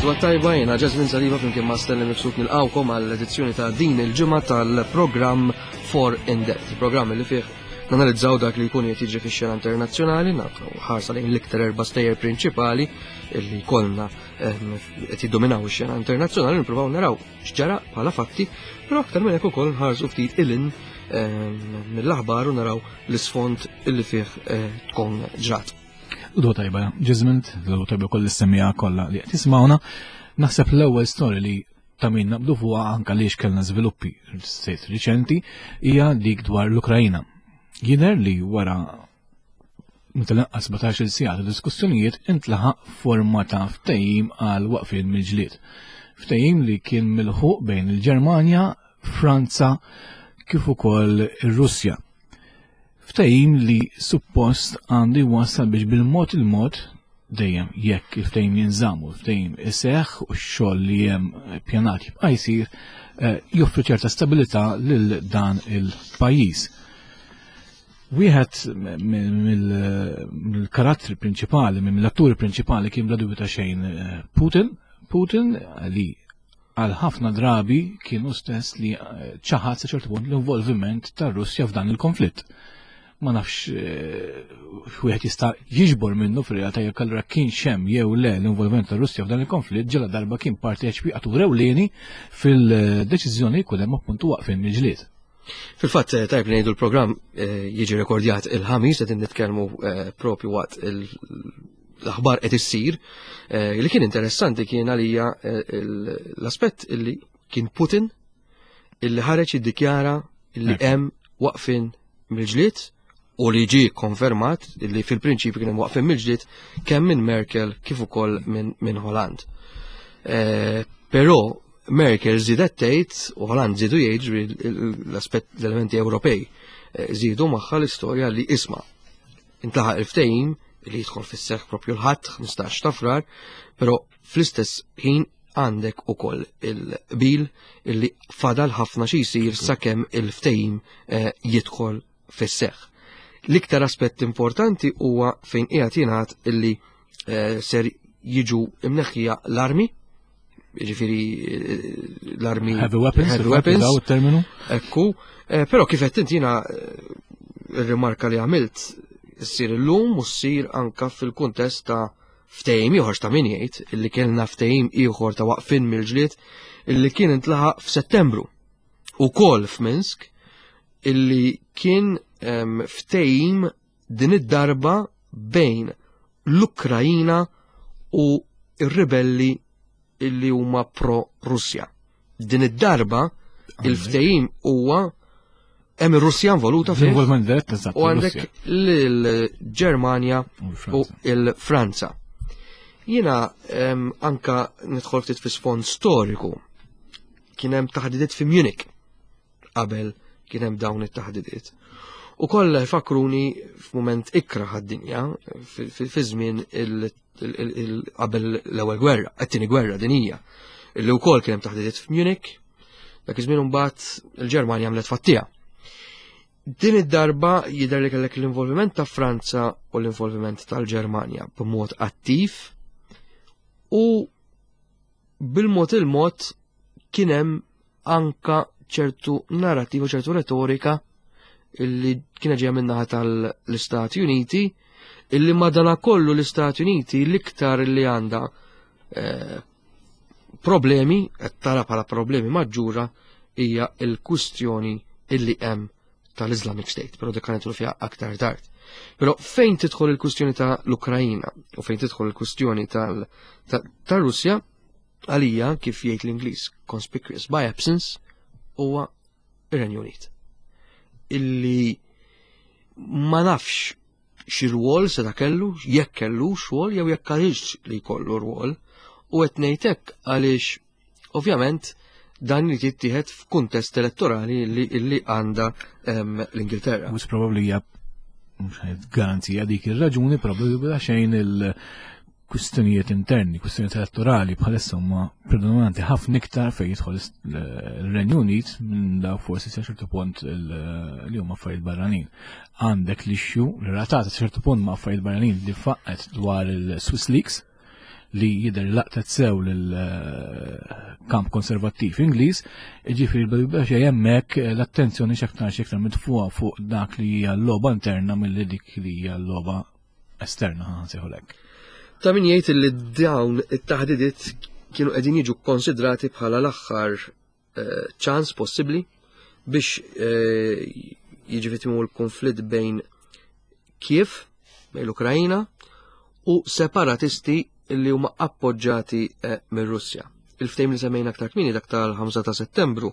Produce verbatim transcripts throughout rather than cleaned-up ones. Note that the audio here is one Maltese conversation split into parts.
L-għodwa t-tajba, jiena Jasmine Saliba flimkien ma' Stanley Mifsud nilqgħukom għall-edizzjoni ta' din il-ġimgħa tal-programm For In Depth, il-programm li fih nanalizzaw dak li jkun qed jiġri fix-xena internazzjonali, nagħtu ħarsa lejn l-iktar erba' stejjer prinċipali li kollna ehm, qed jiddominaw ix-xena internazzjonali, nippruvaw naraw x'ġara bħala fatti, però aktar minn hekk ukoll nħarsu ftit ilin ehm, mill-aħbar u naraw l-isfond illi fih eh, tkun ġrat. L-għodwa tajba, Ġizmint, l-għodwa tajba koll is-semmiegħa kollha li qed jisimgħuna. Naħseb l-ewwel story li ta' min naqbdu fuqha, anka għaliex kellna żviluppi sejt riċenti, hija dik dwar l-Ukrajina. Jidher li wara mill-inqas sbatax-il siegħa ta' diskussjonijiet intlaħaq forma ta' ftehim għal waqfien mill-ġlied. Ftehim li kien milħuq bejn il-Ġermanja, Franza kif ukoll ir-Russja. Ftehim li suppost għandu jwassal biex bil-mod il-mod, dejjem jekk il-ftehim jinżamm u l-ftehim iseħħ u x-xogħol li hemm pjanat jibqa' jsir, eh, joffri ċerta stabilità lil dan il-pajjiż. Wieħed mill-karattri prinċipali, mill-atturi prinċipali kien bla dubju ta' xejn eh, Putin. Putin li għal ħafna drabi kienu stess li eh, ċaħad sa ċertu punt l-involviment tar-Russja f'dan il-konflitt. Ma nafx eh, wieħed jista' jiġbor minnu fir-realtà jekk allura kien hemm jew le l-involviment tar-Russja f'dan il-konflitt, ġela darba kien parteċipatur ewlieni fil-deċiżjoni jkun hemm appuntu waqfien mill-ġlied. Fil-fatt, eh, tajb li ngħidu, l-programm eh, jiġi rekordjat il-Ħamis, qed nitkellmu propju waqt l-aħbar qed issir. Li kien interessanti kien għalija l-aspett illi kien Putin illi ħareġ iddikjara illi hemm waqfin mill-ġlied u li ġi konfermat li fil-prinċipju kien hemm waqfin mill-ġlied kemm minn Merkel kif ukoll minn min Hollande. Eh, però Merkel żiedet tgħid u Hollande żiedu jgħid, l-aspett, l-elementi Ewropej eh, żiedu magħha l-istorja li isma' intlaħaq il-ftehim li jidħol fis-seħħ propju l-Ħadd ħmistax ta' Frar, però fl-istess ħin għandek ukoll il-bil illi fadal ħafna xi jsir sakemm il-ftehim eh, jidħol fis-seħħ. L-iktar aspett importanti huwa fejn qiegħed jingħad illi eh, ser jiġu imneħħija l-armi, ġifieri eh, l-armi Heavy weapons, heavy weapons, daw terminu. Ekku, eh, però kif qed inti, jiena ir-rimarka li għamilt ssir illum u ssir anka fil-kuntest ta' ftehim ieħor ta' min jgħid illi kellna ftehim ieħor ta' waqfin mill-ġlied illi kien intlaħaq f'Settembru ukoll f'Minsk, illi kien em, ftehim din id-darba bejn l-Ukrajina u ir-ribelli illi huma pro-Russja. Din id-darba il-ftehim huwa hemm ir-Russja involuta fih Involvement dirett, eżatt. U għandek l-Ġermanja U u Franza. il-Franza. Jiena em, anka nidħol ftit fi sfond storiku. Kien hemm taħdidiet fi Munich qabel kien hemm dawn it-taħdidiet. U kollha jfakruni f'mument ikrah għad-dinja fi żmien il- il- il- qabel l-ewwel gwerra, it-tieni gwerra dinija, illi wkoll kien hemm taħdidiet f'Munich, dak iż-żmien imbagħad il-Ġermanja għamlet fattija. Din id-darba jidher li kellek l-involviment ta' Franza u l-involviment tal-Ġermanja b'mod attiv u bil-mod il-mod kien hemm anka ċertu narrativa, ċertu retorika illi kienet ġejja min-naħa tal-Istati Uniti, illi madana kollu l-Istati Uniti l-iktar li għandha eh, problemi, qed tara bħala problemi maġġura, hija l-kwistjoni illi hemm tal-Islamic State, però dik nidħlu fiha aktar tard. Però fejn tidħol il-kwistjoni ta' l-Ukrajina u fejn tidħol il-kwistjoni tal-Russja, għalija, kif jgħid l-Ingliż, conspicuous by absence, huwa ir-Renju Unit. Illi ma nafx xi rwol se ta' kellu, jekk kellu xogħol jew jekk għaliex li jkollu rwol, u qed ngħid hekk għaliex ovvjament dan li jittieħed f'kuntest elettorali li, li għandha em, l-Ingilterra. Mhux probabbli hija, mhux ħajt garanzija dik ir-raġuni, probabbli bla xejn il-kwistjonijiet interni, kwistjonijiet elettorali bħalissa huma predominanti ħafna iktar fejn jidħol il-Renju Unit minn daw forsi sa ċertu punt il- li huma affarijiet barranin. Għandek l-issue li relatata sa ċertu punt ma' affarijiet barranin li faqqet dwar il-Swiss Leaks. li jidher laqtet sew lill-kamp konservattiv Ingliż, jiġifieri biex hemmhekk l-attenzjoni x'aktar x'iktar mitfuha fuq dak li hija l-logħba interna milli dik li hija l-logħba esterna, nsejħu hekk. Ta' min jgħid li dawn it-taħdidiet kienu qegħdin jiġu konsidrati bħala l-aħħar ċans possibbli biex jiġi fi tmiemu l-konflitt bejn Kiev, bejn l-Ukrajna, u separatisti li huma appoġġati mir-Russja. Il-ftehim li semmejna aktar kmieni, dak tal-ħamsa ta' Settembru,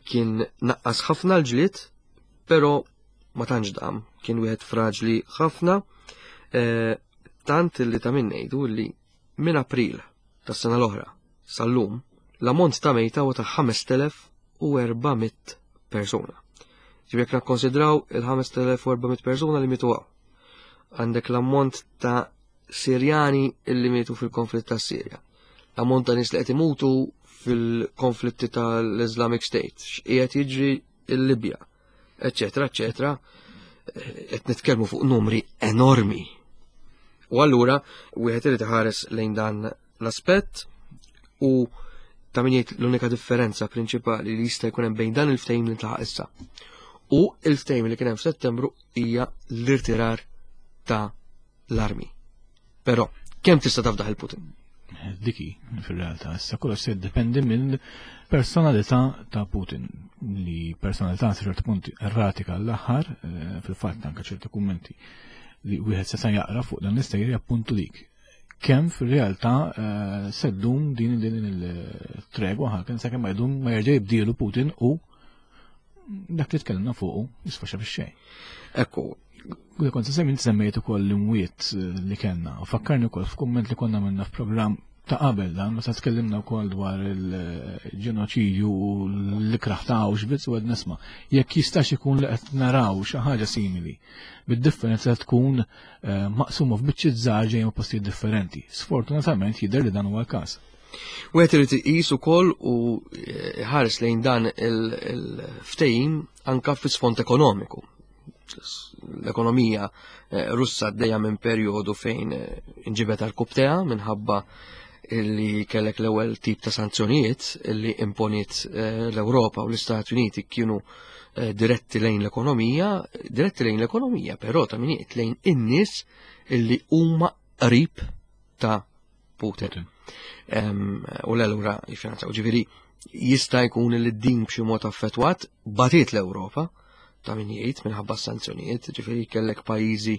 kien naqqas ħafna l-ġlied, però ma tantx dam, kien wieħed fraġli ħafna, tant li ta' min ngħidu li minn April tas-sena l-oħra sal-lum l-ammont ta' mejta huwa ta' ħamest elef u erba' mitt persuna. Ġifieri jekk nikkonsidraw il-ħamest elef u erba' mitt persuna li mietu hawn, għandek l-ammont ta' Sirjani illi mietu fil-konflitt ta' Sirja, l-ammont ta' nies li qed imutu fil-konflitti tal-Islamic State, x'qiegħed jiġri l-Libja, eċċetera, eċċetera, qed nitkellmu fuq numri enormi. U allura wieħed irid iħares lejn dan l-aspett u ta' min jgħid l-unika differenza prinċipali li jista' jkun hemm bejn dan il-ftehim li ntlaħaq issa u il-ftehim li kien hemm f'Settembru hija l-irtirar ta' l-armi. Però kemm tista' tafdaħ il-Putin? Diki, fil-realtà, issa kollox se jiddependi minn personalità ta' Putin, li personalità sa ċertu punt erratika l-aħħar, eh, fil-fatt anke ċertu kummenti li wieħed seta' jaqra fuq dan l-istejjer jappuntu dik. Kemm fil-realtà, eh, se ddum din, din il-tregwa ħaken sakemm ma jdum ma jerġa' jibdielu Putin u dak li tkellimna fuqu jisfaxxa fix-xejn. Ekku. U kont se semmi semmejt ukoll l-imwiet li kellna u fakkarni wkoll f'kumment li konna minna f'programm ta' qabel dan, meta tkellimna wkoll dwar il-ġenoċidju u l-ikraħ ta' Auschwitz u għed nisma' jekk jistax ikun li qed naraw xi ħaġa simili, bid-differenza tkun, eh, maqsuma f'biċċiet żgħar ġejjin minn postijiet differenti. Sfortunatament jidher li dan huwa l-każ. Wieħed irid iqis ukoll u, eh, ħares lejn dan il-, il-ftehim anka fis-sfond ekonomiku. L-ekonomija, eh, Russa għaddejja minn perjodu fejn, eh, inġibet għal kubtea minħabba illi kellek l-ewwel tip ta' sanzjonijiet illi imponiet, eh, l-Ewropa u l-Istati Uniti kienu, eh, diretti lejn l-ekonomija, diretti lejn l-ekonomija, però ta' min jgħid lejn in-nies illi huma qrib ta' Putin. Putin. Em, u l-allura jiffinanzjaw. Ġifieri jista' jkun li din b'xi mod affettwat batiet l-Ewropa ta' min jgħid minħabba s-sanzjonijiet, ġifieri kellek pajjiżi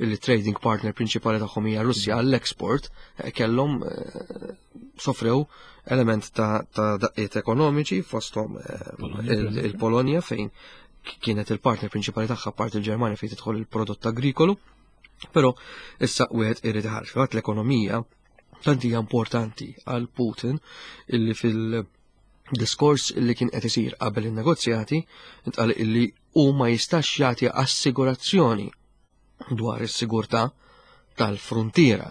li trading partner prinċipali tagħhom hija Russja għall-export, eh, kellhom, eh, sofrew element ta', ta' daqqiet ekonomiċi fosthom, eh, Polonja, il-, per eżempju. il-Polonja fejn kienet il-partner prinċipali tagħha apparti il-Ġermanja fejn tidħol il-prodott agrikolu, però issa wieħed irid iħares. Fil-fatt l-ekonomija tant hija importanti għal Putin illi fil-diskors illi kien qed isir qabel in-negozjati intqal illi hu ma jistax jagħti assigurazzjoni dwar is-sigurtà tal-frontiera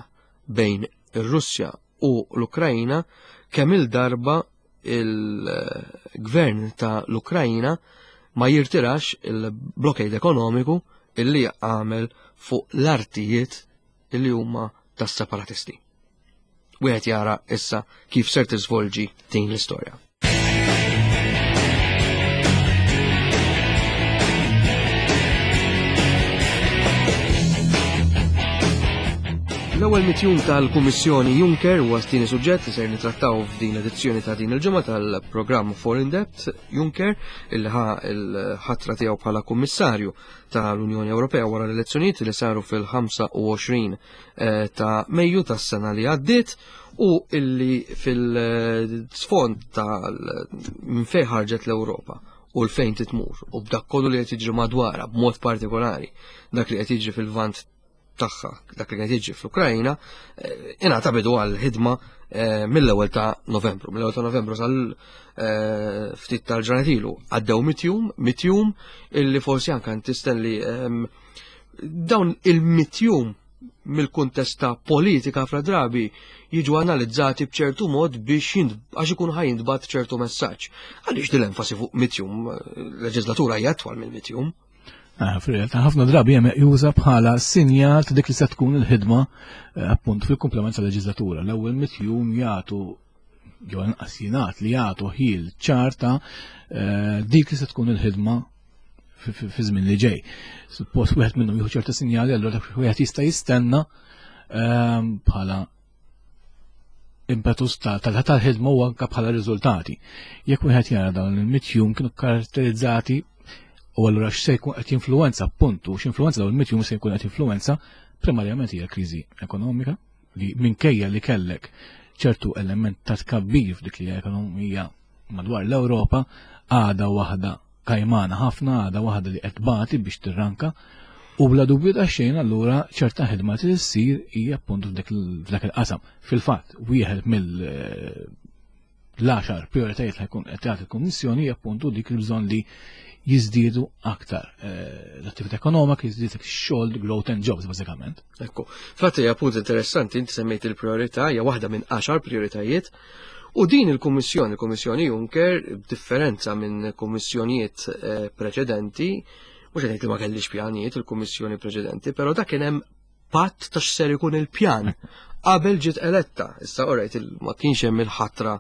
bejn ir-Russja u l-Ukrajna kemm il-darba il-gvern ta' l-Ukrajna ma jirtirax il-blockade ekonomiku illi għamel fuq l-artijiet illi huma tas-separatisti. Wieħed jara issa kif ser tiżvolġi din l-istorja. L-ewwel mitjum tal-Kummissjoni Juncker huwa t-tieni suġġett li ser nitrattaw f'din l-edizzjoni ta' din il-ġimgħa tal-programm Foreign Debt. Juncker illi ħa l-ħatra tiegħu bħala Kummissarju tal-Unjoni Ewropea wara l-elezzjonijiet li saru fil-ħamsa u għoxrin, eh, ta' Mejju tas-sena li għaddiet u illi fil-sfond tal minn fejn ħarġet l-Ewropa u l-fejn titmur u b'dak kollu li qed jiġri madwarha b'mod partikolari dak li qed jiġri fil-vant tagħha, dak li qed jiġri fl-Ukrajna, eh, ingħata bidu għal ħidma, eh, mill-ewwel ta' Novembru. Mill-ewwel ta' Novembru sal, eh, ftit tal-ġranet ilu għaddew mitjum, mitjum illi forsi anke tistenli, ehm, dawn il-mitjum mill-kuntest ta' politika fra drabi jiġu analizzati b'ċertu mod biex jind-, għax ikun ħajintbagħat ċertu messaġġ. Għaliex din l-enfasi fuq mitjum, leġislatura hija twal minn mitjum? Ah, fil-realtà ħafna drabi hemm juża bħala sinjal ta' dik li se tkun il-ħidma eh, appunt fil-komplement tal-leġislatura. L-ewwel mitt jum jagħtu jew inqas jingħad li jagħtu ħil ċar ta' eh, dik li se tkun il-ħidma fi żmien li ġej. Suppost wieħed minnhom jieħu ċerta sinjali, allura wieħed jista' jistenna ehm, bħala impetus tal-ħidma u anke bħala riżultati. Jekk wieħed jara dawn il-mitt jum kienu karatterizzati u allura x'se jkun qed jinfluwenza appuntu, x'influwenza dawn il-mitt jum se jkun qed jinfluwenza primarjament hija kriżi ekonomika li minkejja li kellek ċertu element ta' tkabbir f'dik li ekonomija madwar l-Ewropa għada waħda kajmana ħafna, għada waħda li qed tbati biex tirranka u bla dubju ta' xejn allura ċerta ħidma li ssir hija appuntu f'dak il-qasam. Fil-fatt, wieħed mill l-għaxar prioritajiet li jkun qed tagħti il-Kummissjoni hija appuntu dik il-bżonn li jiżdiedu aktar eh, l-attività ekonomika, jiżdied xogħol, growth and jobs bażikament. Ekku, fatt hija punt interessanti, inti semmejt il-priorità, hija waħda minn għaxar prioritajiet. U din il-Kummissjoni, il-Kummissjoni Juncker, b'differenza minn kummissjonijiet eh, preċedenti, mhux qed li ma kellix pjanijiet il-Kummissjoni preċedenti, però dak kien hemm patt ta' x'ser ikun il-pjan qabel ġiet eletta. Issa orajt ma kienx hemm il-ħatra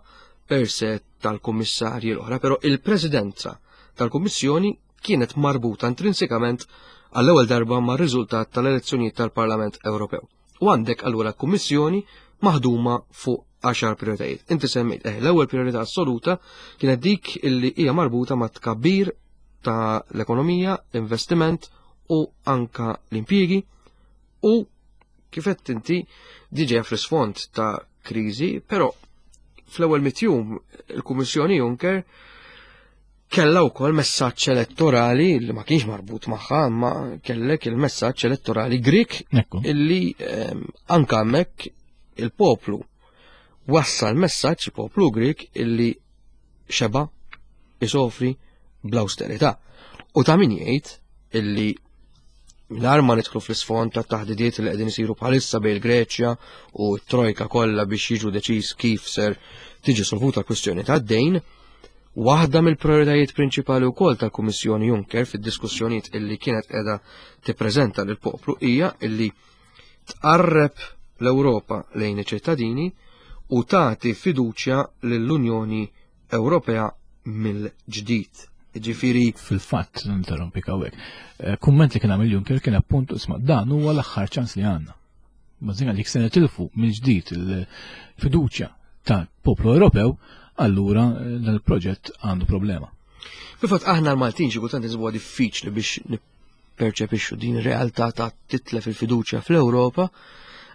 per se tal-kummissarji l-oħra, però il-Presidenza tal-Kummissjoni kienet marbuta intrinsikament għall-ewwel darba ma' riżultat tal-elezzjonijiet tal-Parlament Ewropew. U għandek allura Kummissjoni maħduma fuq għaxar prioritajiet. Inti semmejt, eh, l-ewwel priorità assoluta kienet dik illi hija marbuta ma' tkabbir ta' l-ekonomija, investiment u anka l-impjiegi u kif qed inti diġà fl-isfond ta' kriżi, però fl-ewwel mitt jum il-Kummissjoni Juncker kella wkoll messaġġ elettorali li ma kienx marbut magħha, imma kellek il-messaġġ elettorali Grik Ekku. illi ehm, anka hemmhekk il-poplu wassal messaġġ, il-poplu Grik, illi xeba isofri bl-austerità. U ta' min jgħid illi mingħajr ma nidħlu fl-isfond ta' taħdidiet li qegħdin isiru bħalissa bejn il-Greċja u t-Trojka kollha biex jiġu deċiż kif ser tiġi solvuta l-kwistjoni tad-dejn, waħda mill-prioritajiet prinċipali wkoll tal-Kummissjoni Juncker fid-diskussjonijiet illi kienet qiegħda tippreżenta lill-poplu hija illi tqarreb l-Ewropa lejn iċ-ċittadini u tagħti fiduċja lill-Unjoni Ewropea mill-ġdid. Ġifieri Fil-fatt, ninterrompik hawnhekk. Eh, Kumment li kien għamil Juncker kien appuntu isma' dan huwa l-aħħar ċans li għandna. Bażina li se nitilfu mill-ġdid il-fiduċja tal-poplu Ewropew, allura eh, dan il-proġett għandu problema. Fil-fatt aħna l-Maltin xi kultant insibuha diffiċli biex nipperċepixxu din ir-realtà ta' titlef il-fiduċja fl-Ewropa,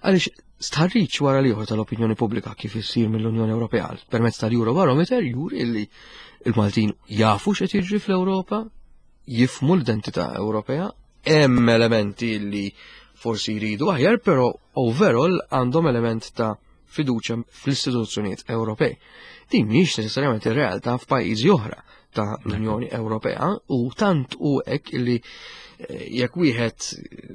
għaliex stħarriġ wara l-ieħor tal-opinjoni pubblika kif issir mill-Unjoni Ewropea permezz tal-Eurobarometer juri illi il-Maltin jafu x'qed jiġri fl-Ewropa, jifhmu l-identità Ewropea, hemm elementi li forsi jridu aħjar, però overall għandhom element ta' fiduċja fl-istituzzjonijiet Ewropej. Din mhix neċessarjament ir-realtà f'pajjiżi oħra ta' l-Unjoni Ewropea u tant u hekk illi eh, jekk wieħed eh,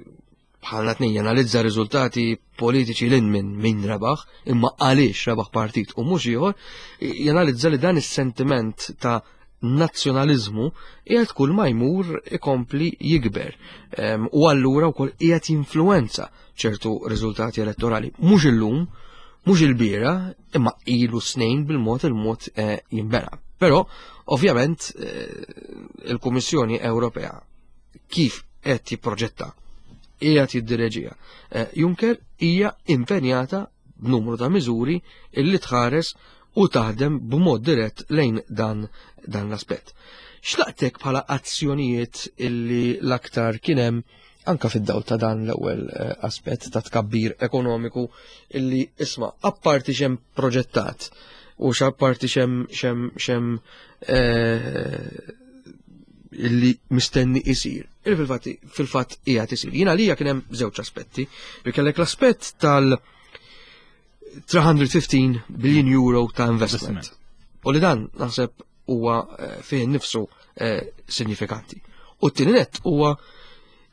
bħalna tnejn janalizza riżultati politiċi lil minn min rebaħ, imma għaliex rebaħ partit u mhux ieħor, janalizza li dan is-sentiment ta' nazzjonaliżmu qiegħed kull ma jmur ikompli jikber. Em, U allura wkoll qiegħed jinfluwenza ċertu riżultati elettorali. Mhux illum, mhux il-bieraħ, imma ilu snin bil-mod il-mod eh, jinbena. Però, ovvjament, eh, il-Kummissjoni Ewropea kif qed jipproġetta qiegħed jiddireġiha. Eh, Juncker hija impenjata b'numru ta' miżuri illi tħares u taħdem b'mod dirett lejn dan, dan l-aspett. X'laqtek bħala azzjonijiet illi l-aktar kien hemm anka fid-dawl ta' dan l-ewwel eh, aspett ta' tkabbir ekonomiku illi isma' apparti x'hemm proġettat u x'apparti x'hemm x'hemm x'hemm eh, illi mistenni isir. Il fil-fatt fil-fatt qiegħed isir. Jiena lija kien hemm żewġ aspetti. Li kellek l-aspett tal tliet mija u ħmistax billion euro ta' investment. Investment. U li dan naħseb huwa eh, fih nifsu eh, sinifikanti. U t-tieni net huwa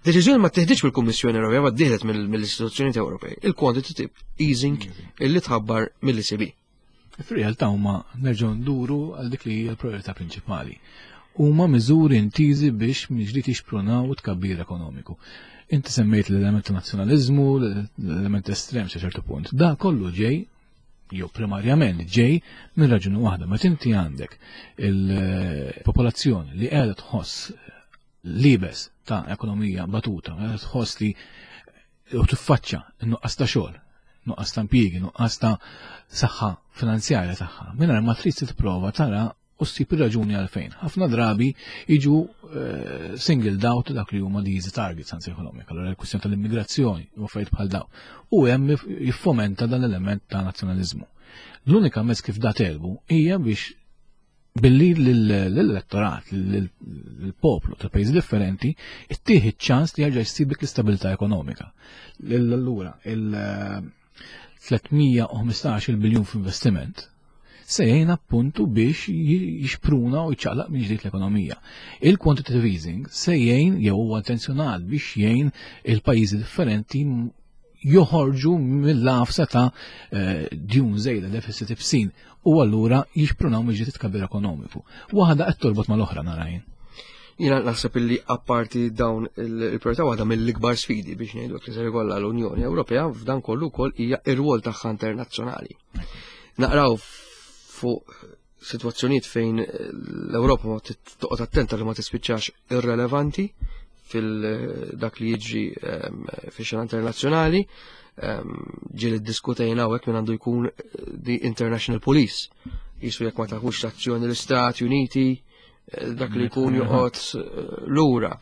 deċiżjoni ma teħdiċ mill-Kummissjoni Ewropea, ma ttieħdet mill-istituzzjonijiet Ewropej. Il-quantitative easing illi tħabbar mill-E C B. Fir-realtà huma nerġgħu nduru għal dik li hija l-priorità prinċipali. huma miżuri intiżi biex mill-ġdid jixprunaw tkabbir ekonomiku. Inti semmejt l-element ta' nazzjonaliżmu, l-element estrem sa ċertu punt. Da kollu ġej, jew primarjament ġej minn raġuni waħda, meta inti għandek il-popolazzjoni li qiegħda tħoss libes ta' ekonomija batuta, qiegħda tħoss li u tiffaċċa n-nuqqas ta' xogħol, nuqqas ta' impjiegi, nuqqas ta' saħħa finanzjarja tagħha, mingħajr ma trid tipprova tara u ssib ir-raġuni għalfejn. Ħafna drabi jiġu eh, singled out dak li huma the easy targets anzi ekonomika, allura l-kwistjoni tal-immigrazzjoni u affarijiet bħal dawn. U hemm jiffomenta dan l-element ta' nazzjonaliżmu. L-unika mezz kif da telbu hija biex billi l-elettorat, l-poplu ta' pajjiżi differenti, ittieħ ċans li jerġa' jsib dik l-istabilità ekonomika. Allura, il-tliet mija u ħmistax biljun f'investiment se jgħin appuntu biex jixpruna u jċaqlaq minn ġdid l-ekonomija. Il-quantitative easing se jgħin, jew huwa intenzjonat biex jgħin il-pajjiżi differenti joħorġu mill-lafsa ta' eh, djun żejda, deficit ibsin, u allura jixprunaw minn ġdid tkabbir ekonomiku. Waħda qed torbot mal-oħra narajn. Jiena naħseb illi apparti dawn il-priorità, waħda mill-ikbar sfidi, biex ngħidu li ser ikollha l-Unjoni Ewropea f'dan kollu wkoll hija ir-rwol tagħha internazzjonali. Naqraw fuq sitwazzjonijiet fejn l-Ewropa ma toqgħod attenta li ma tispiċċax irrelevanti fil-dak li jiġri ehm, fix-xena internazzjonali. Ehm, ġieli ddiskutejna hawnhekk min għandu jkun the international police. Jisu jekk ma tieħux azzjoni l-Istati Uniti, eh, dak li jkun joqgħod eh, lura.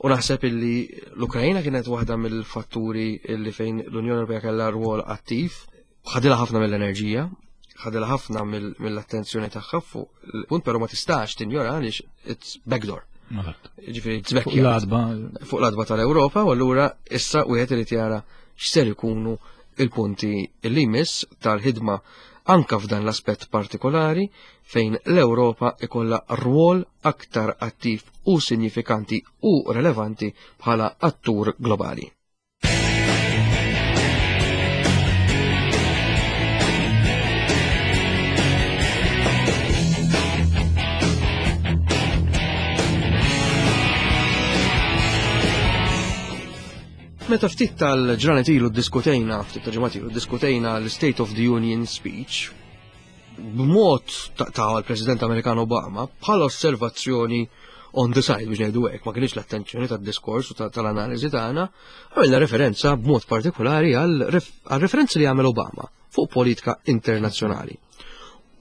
U naħseb illi l-Ukrajna kienet waħda mill-fatturi illi fejn l-Unjoni Ewropea kellha rwol attiv, ħadilha ħafna mill-enerġija, ħadilha ħafna mill-attenzjoni tagħha fuq il-punt, però ma tistax tinjora għaliex it's backdoor. Ġifieri it's Fuq l-għatba. Fuq l-għatba tal-Ewropa, u allura issa wieħed irid jara x'ser ikunu il-punti li jmiss tal-ħidma anka f'dan l-aspett partikolari fejn l-Ewropa ikolla rwol aktar attiv u sinifikanti u relevanti bħala attur globali. Meta ftit tal-ġranet ilu diskutejna, ftit tal-ġimgħat ilu diskutejna l-State of the Union speech, b'mod ta' l-President Amerikan Obama, bħala osservazzjoni on the side, biex ngħidu hekk, ma kienx l-attenzjoni tad-diskors u tal-analiżi tagħna, għamilna referenza b'mod partikolari għal referenzi li għamel Obama fuq politika internazzjonali.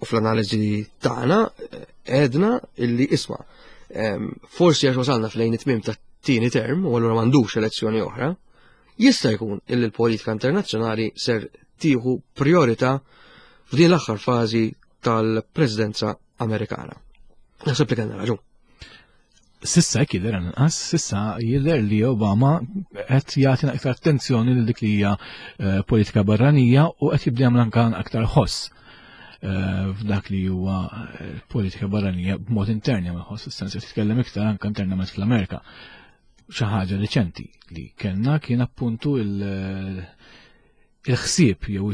U fl-analiżi tagħna eh, għedna illi isma' forsi għax wasalna f'lejn it-tmiem ta' tieni term u allura m'għandux elezzjoni oħra, jista' jkun illi l-politika internazzjonali ser tieħu priorità f'din l-aħħar fażi tal-Presidenza Amerikana. Naħseb li kellna raġun. Sissa hekk jidher inqas, sissa jidher li Obama qed jagħti aktar attenzjoni lil dik li hija eh, politika barranija u qed jibda jagħmel anke aktar ħoss eh, f'dak li huwa eh, politika barranija b'mod intern jagħmel ħoss, is-sens qed jitkellem iktar anke internament fl-Amerika. Xi ħaġa riċenti li kellna kien appuntu il- il-ħsieb jew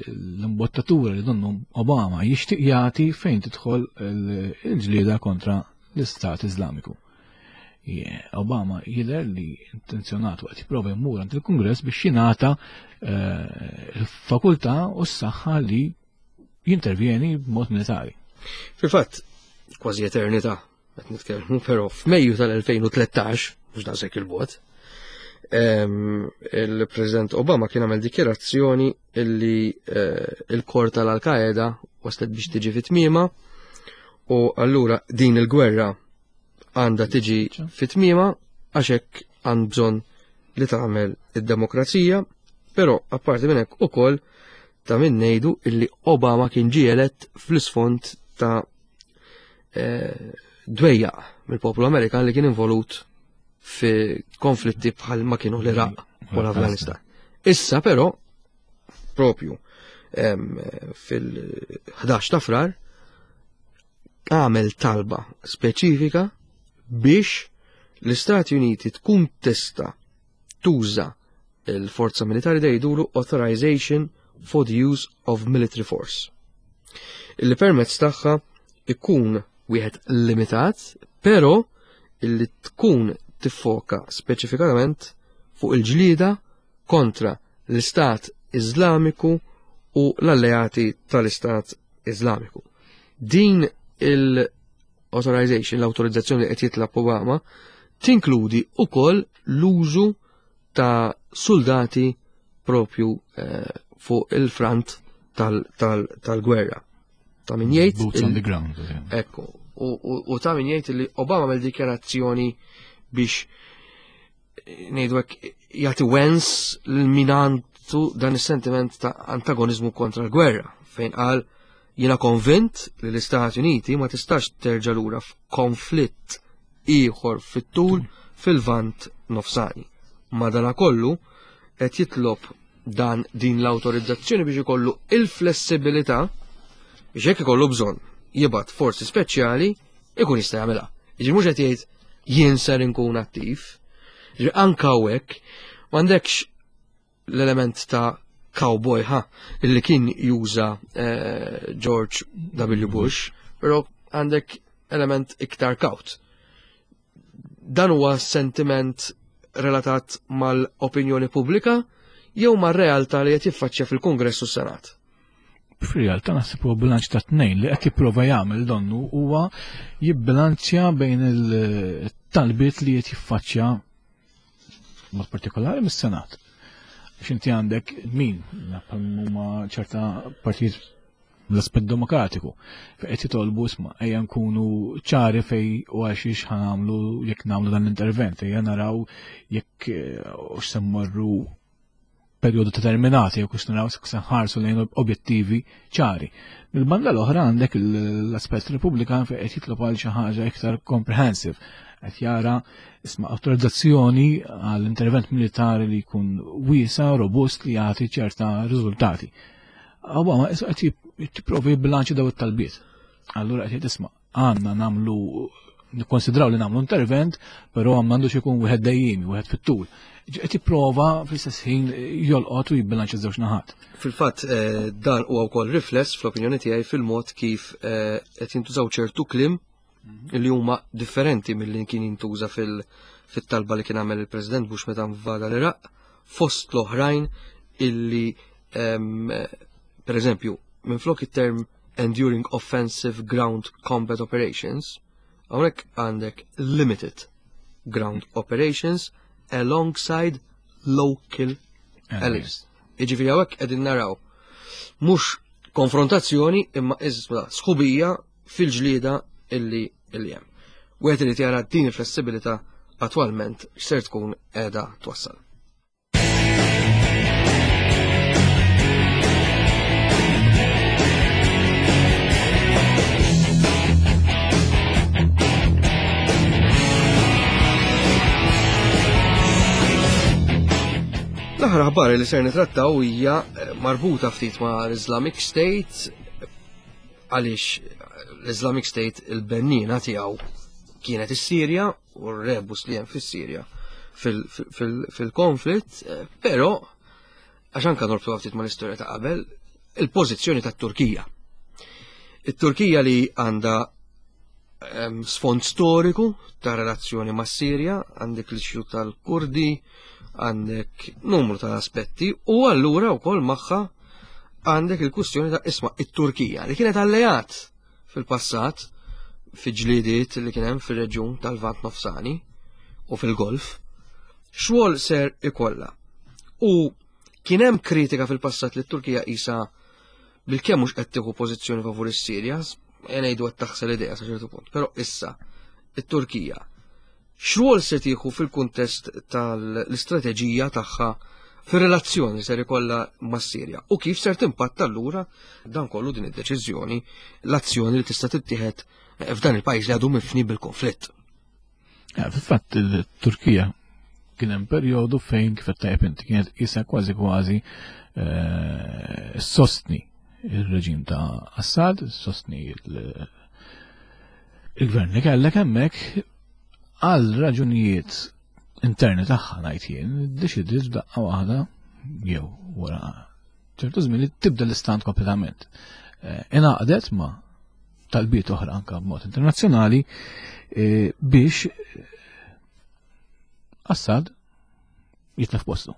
l-imbottatura li donnu Obama jixtieq jagħti fejn tidħol il-ġlieda kontra l-Istat Iżlamiku. Obama jidher li intenzjonat waqt jipprova jmur għand il-Kungress biex jingħata eh, il-fakultà u s-saħħa li jintervjeni b'mod militari. Fil-fatt, kważi eternità, qed nitkellmu, però f'Mejju tal-elfejn u tlettax, mhux daqshekk il-bogħod, il-President Obama kien għamel dikjerazzjoni illi eh, il-kor tal-Al-Qaeda waslet biex tiġi fit-tmiema u allura din il-gwerra għandha tiġi fit-tmiema għax hekk għand bżonn li tagħmel id-demokrazija, però apparti minn hekk ukoll ta' min ngħidu illi Obama kien ġie elett fl-isfond ta' eh, dwejjaq mill-poplu Amerikan li kien involut fi konflitti bħal ma kienu l-Iraq u l-Afganistan. Issa però, propju fil-ħdax ta' Frar, għamel talba speċifika biex l-Istati Uniti tkun tista tuża il-forza militari, jgħidulu authorization for the use of military force. Illi permezz tagħha ikun wieħed limitat, però illi tkun tiffoka speċifikament fuq il-ġlieda kontra l-Istat Iżlamiku u l-alleati tal-Istat Iżlamiku. Din il-authorization, l-autorizzazzjoni li qed jitlab Obama, tinkludi ukoll l-użu ta' soldati propju eh, fuq il-front tal-gwerra. Ta' min jgħid. Boots on the ground. Ekku. U ta' min jgħid li Obama għamel dikjarazzjoni biex eh, ngħidu hekk jagħti wens lil min għandu dan is-sentiment ta' antagonizmu kontra l-gwerra, fejn qal jiena konvint li l-Istati Uniti ma tistax terġa' lura f'konflitt ieħor fit-tul fil-Lvant Nofsani. Madanakollu qed jitlob dan din l-autorizzazzjoni biex ikollu il-flessibilità biex jekk ikollu bżonn jibgħat forzi speċjali ikun jista' jagħmilha. Jiġi mhux qed jgħid jien ser inkun attiv. Jiġi anke hawnhekk m'għandekx l-element ta' cowboy ha illi kien juża eh, George W. Bush, però għandek element iktar kaut. Dan huwa sentiment relatat mal-opinjoni pubblika jew mar-realtà li qed jiffaċċja fil-Kungress u s-Senat? Fir-realtà naħseb huwa bilanċ ta' tnejn li qed jipprova jagħmel donnu huwa jibbilanċja bejn il-talbiet li qed jiffaċċja mod partikolari mis-Senat. Għax inti għandek min huma ċerta partijiet l-aspett demokratiku. Fejn qed jitolbu isma' ejja nkunu ċari fej u għal xiex ħa nagħmlu jekk nagħmlu dan l-intervent, ejja naraw jekk hux se mmorru perjodu determinati jew kux naraw se nħarsu lejn objettivi ċari. Mill-banda l-oħra għandek l-aspett Repubblikan fejn qed jitlob għal xi ħaġa iktar comprehensive. Qed jara isma' awtorizzazzjoni għall intervent militari li jkun wiesa, robust li jagħti ċerta riżultati. Obama qed jipprovi jibbilanċi daw it-talbiet. Allura qed isma' għandna nagħmlu nikkonsidraw li nagħmlu intervent, però m'għandux ikun wieħed dejjimi, wieħed fit-tul. Qed jipprova fl-istess ħin jolqot u jibbilanċja żewġ naħat. Fil-fatt eh, dan huwa wkoll rifless fl-opinjoni tiegħi fil-mod kif eh, qed jintużaw ċertu kliem li huma differenti milli kien jintuża fil-talba li kien għamel il-President Bush meta invada l-Iraq, fost l-oħrajn illi per eżempju, minflok it-term Enduring Offensive Ground Combat Operations, hawnhekk għandek Limited Ground Operations alongside local allies. Jiġifieri hawnhekk qegħdin naraw mhux konfrontazzjoni imma iżda sħubija fil-ġlieda illi illi hemm. Wieħed irid jara din il-flessibilità attwalment x'ser tkun qiegħda twassal. L-aħħar aħbar li ser nitrattaw hija marbuta ftit ma' l-Islamic State, għaliex l-Islamic State il-bennina tiegħu kienet is-Sirja u r-rebus li hemm fis-Sirja fil-konflitt, però għax anke norbtu ftit mal-istorja ta' qabel, il-pożizzjoni tat-Turkija. It-Turkija li għandha sfond storiku ta' relazzjoni mas-Sirja, għandek l-issue tal-Kurdi, għandek numru ta' aspetti, u allura wkoll magħha għandek il-kwistjoni ta' isma' it-Turkija li kienet alleat fil-passat fi ġlidiet li kien hemm fir-reġjun tal-Lvant Nofsani u fil-Golf, xogħol ser ikollha. U kien hemm kritika fil-passat li t-Turkija qisha bilkemm mhux qed tieħu pożizzjoni favur is-Sirja, ngħidu qed taħsel idea sa ċertu punt, però issa it-Turkija x'rwol se tieħu fil-kuntest tal-istrateġija tagħha fir-relazzjoni li ser ikollha mas-Sirja u kif ser timpatta allura dan kollu din id-deċiżjoni, l-azzjoni li tista' tittieħed f'dan il-pajjiż li għadu mifni bil-konflitt. Fil-fatt il-Turkija kien hemm perjodu fejn kif qed tajjeb inti kienet qisha kważi kważi eh, sostni il-reġim ta' Assad, sostni il-gvern li kellek hemmhekk għal raġunijiet interni tagħha ngħid jien, iddeċidiet f'daqqa waħda jew wara ċertu żmien li tibda l-istant kompletament. Ingħaqdet ma' talbiet oħra anka b'mod internazzjonali eh, biex Assad jitlef postu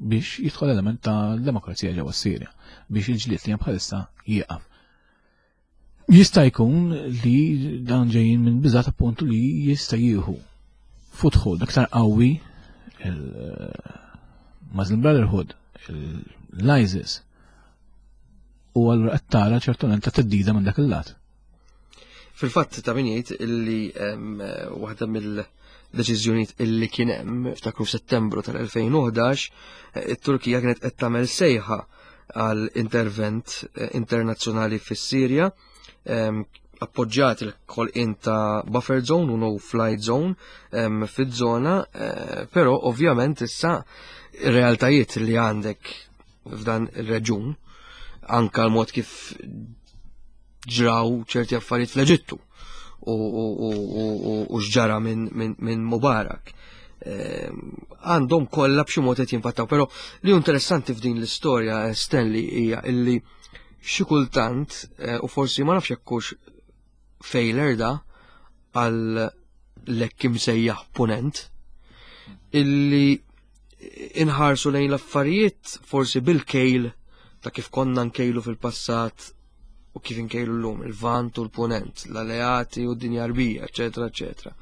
biex jidħol element ta' demokrazija ġewwa Sirja biex il-ġlied li hemm bħalissa jieqaf. Jista' jkun li dan ġejjin minn biżat appuntu li jista' jieħu foothold aktar qawwi il-Muslim Brotherhood, l-ISIS, u allura qed tara ċertament ta' theddida minn dak il-lat. Fil-fatt ta' min jgħid illi waħda mill-deċiżjonijiet illi kien hemm ftakru f'Settembru tal-elfejn u ħdax, it-Turkija kienet qed tagħmel sejħa għal intervent internazzjonali fis-Sirja, appoġġjat il-ħolqien ta' buffer zone u no flight zone fiż-żona, però ovvjament issa ir-realtajiet li għandek f'dan ir-reġun, anka l-mod kif ġraw ċerti affarijiet fl-Eġittu u, u, u, u, u, u x'ġara minn, minn, minn Mubarak. Għandhom kollha b'xi mod qed jimpattaw, però li hu interessanti f'din l-istorja, Stanley, hija illi xi kultant, u forsi ma nafx jekk hux failure da għal l-hekk imsejjaħ punent, illi inħarsu lejn l-affarijiet forsi bil-kejl ta' kif konna nkejlu fil-passat u kif inkejlu l-lum, il-Lvant u l-Punent, l-alleati u d-dinja Arbija, eccetera, eccetera.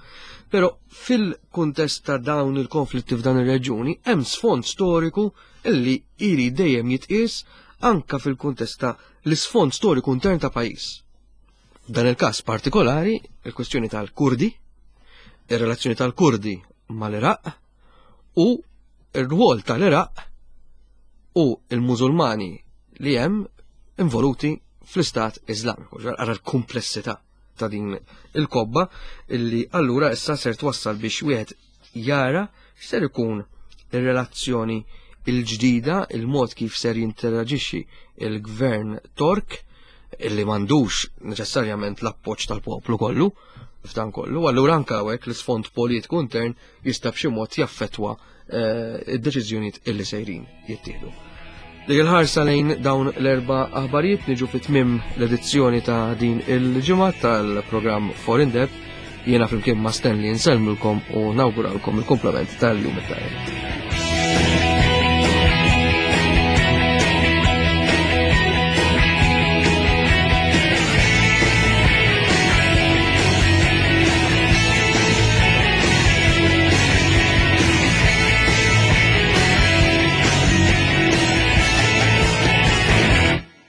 Però fil-kuntest ta' dawn il-konflitti f'dan ir-reġjuni hemm sfond storiku illi iri dejjem jitqies anka fil-kuntest ta' l-isfond storiku intern ta' pajjiż. F'dan il-każ partikolari, il-kwestjoni tal-Kurdi, ir-relazzjoni tal-Kurdi mal-Iraq u r-rwol tal-Iraq u il-Musulmani li hemm involuti fl-Istat Iżlamiku. Ara l-komplessità ta' din il-kobba illi allura issa ser twassal biex wieħed jara x'ser ikun ir-relazzjoni il-ġdida, il-mod kif ser jinteraġixxi il-gvern Tork illi m'għandux neċessarjament l-appoġġ tal-poplu kollu f'dan kollu, allura anke hawnhekk l-isfond politiku intern jista' b'xi mod jaffettwa, eh, id-deċiżjonijiet illi sejrin jittieħdu. Dik il-ħarsa lejn dawn l-erba' aħbarijiet niġu fi tmiem l-edizzjoni ta' din il-ġimgħa tal-programm Foreign Depth. Jiena flimkien ma' Stanley nsellmilkom u nawguralkom il-komplement tal-jum it-tajjeb.